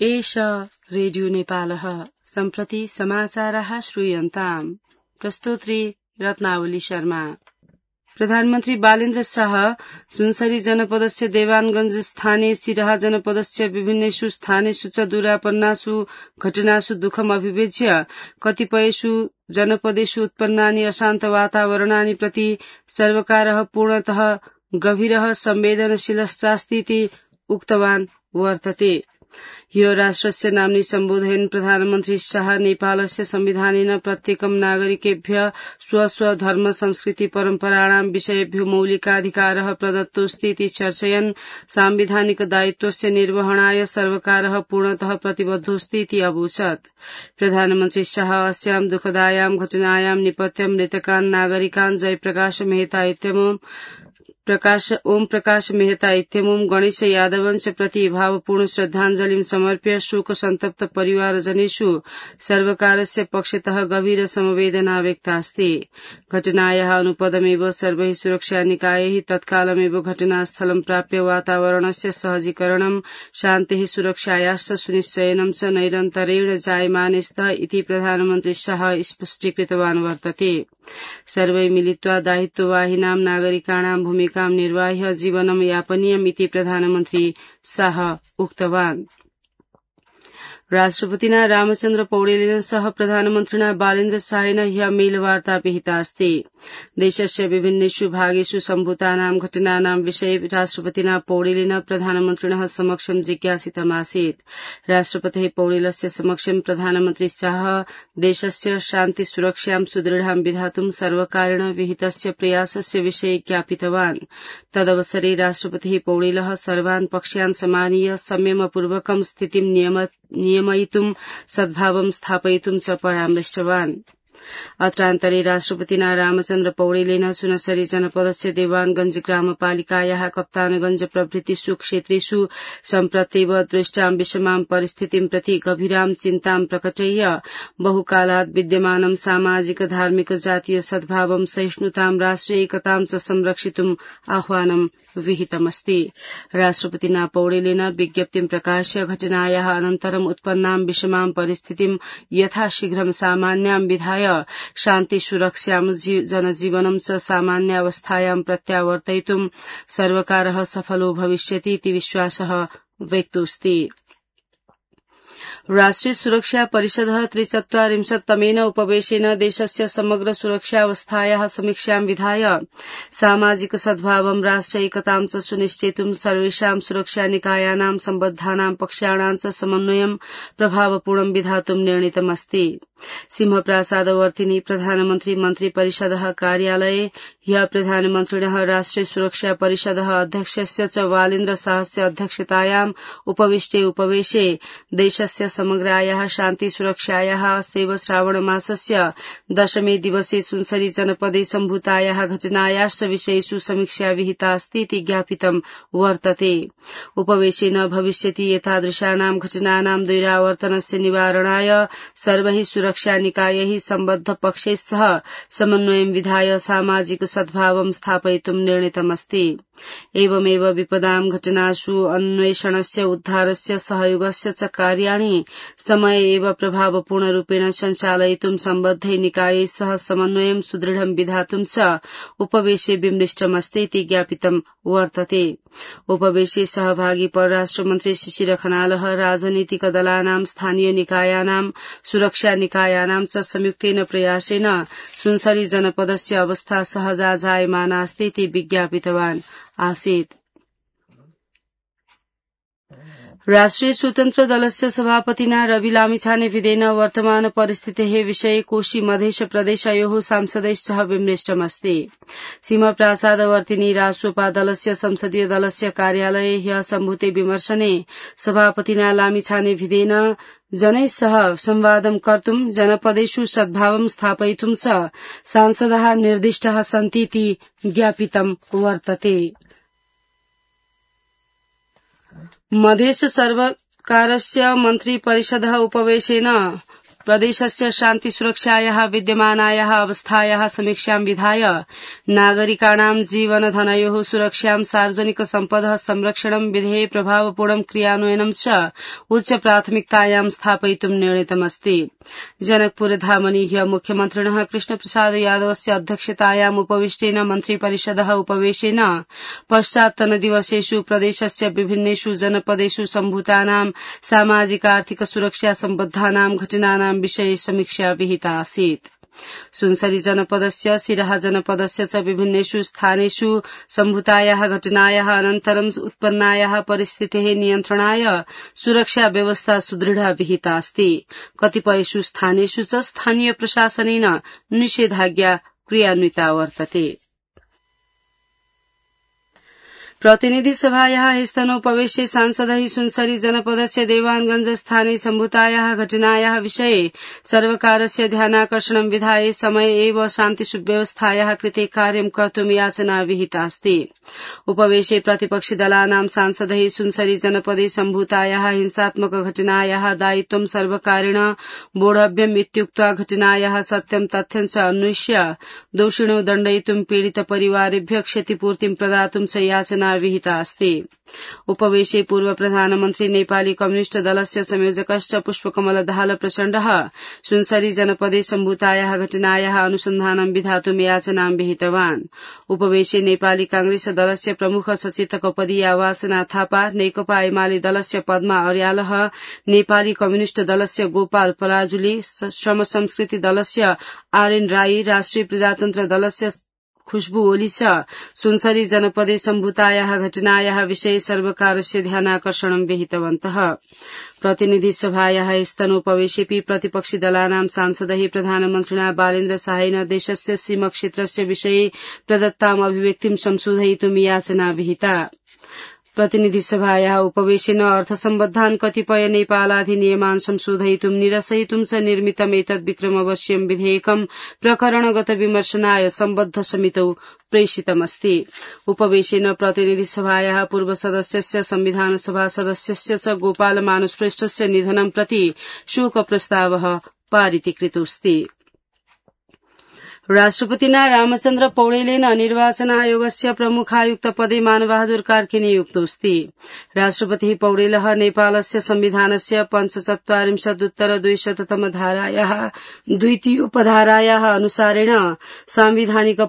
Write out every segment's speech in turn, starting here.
एष रेडियो नेपालः सम्प्रति समाचारः श्रूयन्ताम्। प्रस्तोत्री रत्नावली शर्मा। प्रधानमन्त्री बालेन्द्र शाह सुनसरी जनपदस्य देवानगंज स्थाने सिराहा जनपदस्य विभिन्नेषु स्थानेषु च दुरापन्नासु घटनासु दुःखम् अभिव्यज्य कतिपयेषु जनपदेषु उत्पन्नानि अशान्त वातावरणानि प्रति सर्वकारः पूर्णतः गभीरः संवेदनशीलश्चास्तीति उक्तवान् वर्तते। ह्यो राष्ट्रस्य नाम्नि सम्बोधयन् प्रधानमन्त्री शाह नेपालस्य संविधानेन प्रत्येकं नागरिकेभ्य स्व धर्म संस्कृति परम्पराणां विषयेभ्यो मौलिकाधिकारः प्रदत्तोऽस्तीति चर्चयन् सांविधानिक दायित्वस्य निर्वहणाय सर्वकारः पूर्णतः प्रतिबद्धोऽस्तीति अवोचत्। प्रधानमन्त्री शाह अस्यां दुःखदायां घटनायां निपत्य मृतकान् नागरिकान् जयप्रकाश मेहता इत्यमुम् ओम प्रकाश मेहता इत्यमुम् गणेश यादवं च प्रति भावपूर्ण श्रद्धाञ्जलिं समर्प्य शोक सन्तप्त परिवारजनेषु सर्वकारस्य पक्षतः गभीर समवेदना व्यक्तास्ति। घटनायाः अनुपदमेव सर्वैः सुरक्षा निकायैः तत्कालमेव घटनास्थलं प्राप्य वातावरणस्य सहजीकरणं शान्तिः सुरक्षायाश्च सुनिश्चयनं च निरन्तरेण जायमाने स्तः इति प्रधानमन्त्री शाह स्पष्टीकृतवान् वर्तते। सर्वै मिलित्वा दायित्ववाहिनां नागरिकाणां भूमिकां निर्वाह्य जीवनं यापनीयम् इति प्रधानमन्त्री शाह उक्तवान्। राष्ट्रपतिना रामचन्द्र पौडेलेन सह प्रधानमन्त्रिणा बालेन्द्र शाहेन ह्यः मेलवार्ता विहिता अस्ति। देशस्य विभिन्नेषु भागेषु सम्भूतानां घटनानां विषये राष्ट्रपतिना पौडेलेन प्रधानमन्त्रिणः समक्षं जिज्ञासितमासीत्। राष्ट्रपतेः पौडेलस्य समक्षं प्रधानमन्त्री शाह देशस्य शान्ति सुरक्षां सुदृढां विधातुं सर्वकारेण विहितस्य प्रयासस्य विषये ज्ञापितवान्। तदवसरे राष्ट्रपतिः पौडेलः सर्वान् पक्षान् समानीय संयमपूर्वकं स्थितिं नियमयितुं सद्भावं स्थापयितुं च परामृष्टवान्। अत्रान्तरे राष्ट्रपतिना रामचन्द्र पौडेलेन सुनसरी जनपदस्य देवानगंज ग्रामपालिकायाः कप्तानगंज प्रभृतिषु क्षेत्रेषु सम्प्रत्येव दृष्टां विषमां परिस्थितिं प्रति गभीरां चिन्तां प्रकटय्य बहुकालात् विद्यमानं सामाजिक धार्मिक जातीय सद्भावं सहिष्णुतां राष्ट्रिय एकतां च संरक्षितुं आह्वानं विहितमस्ति। राष्ट्रपतिना पौडेलेन विज्ञप्तिं प्रकाश्य घटनायाः अनन्तरं उत्पन्नां विषमां परिस्थितिं यथाशीघ्रं सामान्यां विधाय शान्ति सुरक्षां जनजीवनं च सामान्यावस्थायां प्रत्यावर्तयितुं सर्वकारः सफलो भविष्यति इति विश्वासः व्यक्तोऽस्ति। राष्ट्रिय सुरक्षा परिषदः 43तमेन उपवेशेन देशस्य समग्र सुरक्षावस्थायाः समीक्षां विधाय सामाजिक सद्भावं राष्ट्र एकतां च सुनिश्चेतुं सर्वेषां सुरक्षा निकायानां सम्बद्धानां पक्षाणां च समन्वयं प्रभावपूर्णं विधातुं निर्णीतमस्ति। सिंहप्रासादवर्तिनि प्रधानमन्त्री मन्त्री परिषदः कार्यालये ह्यः प्रधानमन्त्रिणः राष्ट्रिय सुरक्षा परिषदः अध्यक्षस्य च बालेन्द्र शाहस्य अध्यक्षतायाम् उपविष्टे उपवेशे देशस्य समग्रायाः शान्ति सुरक्षायाः सेव श्रावण मासस्य 10मे दिवसे सुनसरी जनपदे सम्भूतायाः घटनायाश्च विषयेषु समीक्षा विहिता अस्ति इति ज्ञापितं वर्तते। उपवेशेन भविष्यति एतादृशानां घटनानां द्वैरावर्तनस्य निवारणाय सर्वैः सुरक्षा निकायैः सम्बद्ध पक्षैः सह समन्वयं विधाय सामाजिक सद्भावं स्थापयितुं निर्णीतमस्ति। एवमेव विपदां घटनासु अन्वेषणस्य उद्धारस्य सहयोगस्य च कार्याणि समय एव प्रभावपूर्णरूपेण सञ्चालयितुं सम्बद्धैः निकायैः सह समन्वयं सुदृढं विधातुं च उपवेशे विमृष्टमस्ति इति ज्ञापितं वर्तते। उपवेशे सहभागी परराष्ट्रमन्त्री शिशिर खनालः राजनीतिक दलानां स्थानीय निकायानां सुरक्षा निकायानां च संयुक्तेन प्रयासेन सुनसरी जनपदस्य अवस्था सहजा जायमाना अस्ति इति विज्ञापितवान् आसीत्। राष्ट्रिय स्वतन्त्र दलस्य सभापतिना रवि लामिछानेविदेन वर्तमान परिस्थितेः विषये कोशी मधेश प्रदेशयोः सांसदैश्च विमृष्टमस्ति। सिंहप्रासादवर्तिनि राष्ट्रोपा दलस्य संसदीय दलस्य कार्यालये ह्यः सम्भूते विमर्शने सभापतिना लामिछानेविदेन जनैः सह संवादं कर्तुं जनपदेषु सद्भावं स्थापयितुं च सांसदाः निर्दिष्टाः सन्तीति ज्ञापितं वर्तते। मधेश सर्वकारस्य मन्त्री परिषदः उपवेशेन प्रदेशस्य शान्ति सुरक्षायाः विद्यमानायाः अवस्थायाः समीक्षां विधाय नागरिकाणां जीवनधनयोः सुरक्षां सार्वजनिक सम्पदः संरक्षणं विधेये प्रभावपूर्णं क्रियान्वयनं च उच्च प्राथमिकतायां स्थापयितुं निर्णीतमस्ति। जनकपुरधामनि ह्य मुख्यमन्त्रिणः कृष्णप्रसाद यादवस्य अध्यक्षतायाम् उपविष्टेन मन्त्रिपरिषदः उपवेशेन पश्चात्तनदिवसेषु प्रदेशस्य विभिन्नेषु जनपदेषु सम्भूतानां सामाजिक आर्थिक सुरक्षा सम्बद्धानां घटनानां विषये समीक्षा विहिता आसीत्। सुनसरी जनपदस्य सिराहा जनपदस्य च विभिन्नेषु स्थानेषु सम्भूतायाः घटनायाः अनन्तरं उत्पन्नायाः परिस्थितेः नियन्त्रणाय सुरक्षा व्यवस्था सुदृढा विहिता अस्ति। कतिपयेषु स्थानेषु च स्थानीय प्रशासनेन निषेधाज्ञा क्रियान्विता वर्तते। प्रतिनिधि सभायाः स्तनोपवेशे सांसदैः सुनसरी जनपदस्य देवानगंज स्थाने सम्भूतायाः घटनायाः विषये सर्वकारस्य ध्यानाकर्षणं विधाय समय एव शान्तिव्यवस्थायाः कृते कार्यं कर्तुं याचना विहिता अस्ति। उपवेशे प्रतिपक्षिदलानां सांसदैः सुनसरी जनपदे सम्भूतायाः हिंसात्मक घटनायाः दायित्वं सर्वकारेण बोढव्यम् इत्युक्त्वा घटनायाः सत्यं तथ्यं च अन्वेष्य दोषिणो दण्डयितुं पीडित परिवारेभ्यः क्षतिपूर्तिं प्रदातुं च याचना विहिता अस्ति। उपवेशे पूर्व प्रधानमन्त्री नेपाली कम्युनिष्ट दलस्य संयोजकश्च पुष्पकमल दाहाल प्रचण्डः सुनसरी जनपदे सम्भूतायाः घटनायाः अनुसन्धानं विधातुं याचनां विहितवान्। उपवेशे नेपाली कांग्रेस दलस्य प्रमुख सचेतकपदीया वासना थापा, नेकपा एमाले दलस्य पद्मा अर्यालः, नेपाली कम्युनिष्ट दलस्य गोपाल पलाजुली, श्रम संस्कृति दलस्य आरएन राई, राष्ट्रिय प्रजातन्त्र दलस्य खुशबू ओली च सुनसरी जनपदे सम्भूतायाः घटनायाः विषये सर्वकारस्य ध्यानाकर्षणं विहितवन्तः। प्रतिनिधि सभायाः स्तनोपवेशेऽपि प्रतिपक्षि दलानां सांसदैः प्रधानमन्त्रिणा बालेन्द्र शाहेन देशस्य सीमाक्षेत्रस्य विषये प्रदत्ताम् अभिव्यक्तिं संशोधयितुं याचना विहिता। प्रतिनिधि सभायाः उपवेशेन अर्थसम्बद्धान् कतिपय नेपालाधिनियमान् संशोधयितुं निरसयितुं च निर्मितम् एतद् विक्रमवश्यं विधेयकं प्रकरणगत विमर्शनाय सम्बद्ध समितौ प्रेषितमस्ति। उपवेशेन प्रतिनिधि सभायाः पूर्व सदस्यस्य संविधान सभा सदस्यस्य च गोपाल मानुश्रेष्ठस्य निधनं प्रति शोक प्रस्तावः पारितीकृतोऽस्ति। राष्ट्रपतिना रामचन्द्र पौडेलेन निर्वाचन आयोगस्य प्रमुखायुक्त पदे मानबहादुर कार्की नियुक्तोऽस्ति। राष्ट्रपतिः पौडेलः नेपालस्य संविधानस्य ४५उत्तर २००तम धारायाः द्वितीयोपधारायाः अनुसारेण सांविधानिक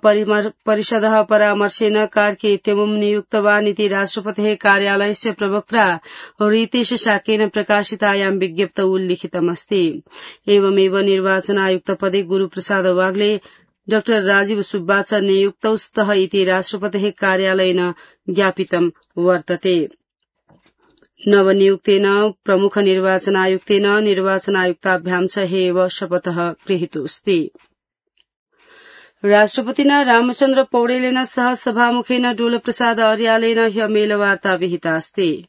परिषदः परामर्शेन कार्की इत्यमुं नियुक्तवान् इति राष्ट्रपतेः कार्यालयस्य प्रवक्त्रा रितेश शाक्येन प्रकाशितायां विज्ञप्तौ उल्लिखितमस्ति। एवमेव निर्वाचन आयुक्त पदे गुरूप्रसाद वाग्ले, डॉ राजीव सुब्बा च नियुक्तौ स्तः इति राष्ट्रपतेः कार्यालयेन ज्ञापितं वर्तते। नवनियुक्तेन प्रमुख निर्वाचनायुक्तेन निर्वाचनायुक्ताभ्यां च एव शपथः गृहीतोऽस्ति। राष्ट्रपतिना रामचन्द्र पौडेलेन सह सभामुखेन डोलप्रसाद अर्यालेन ह्य मेलवार्ता विहिता अस्ति।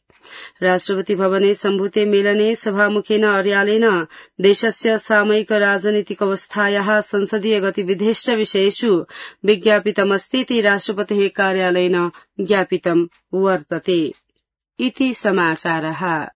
राष्ट्रपति भवने सम्भूते मेलने सभामुखेन अर्यालेन देशस्य सामयिक राजनीतिक अवस्थायाः संसदीय गतिविधेश्च विषयेषु विज्ञापितमस्तीति राष्ट्रपतेः कार्यालयेन ज्ञापितं वर्तते। इति समाचारः।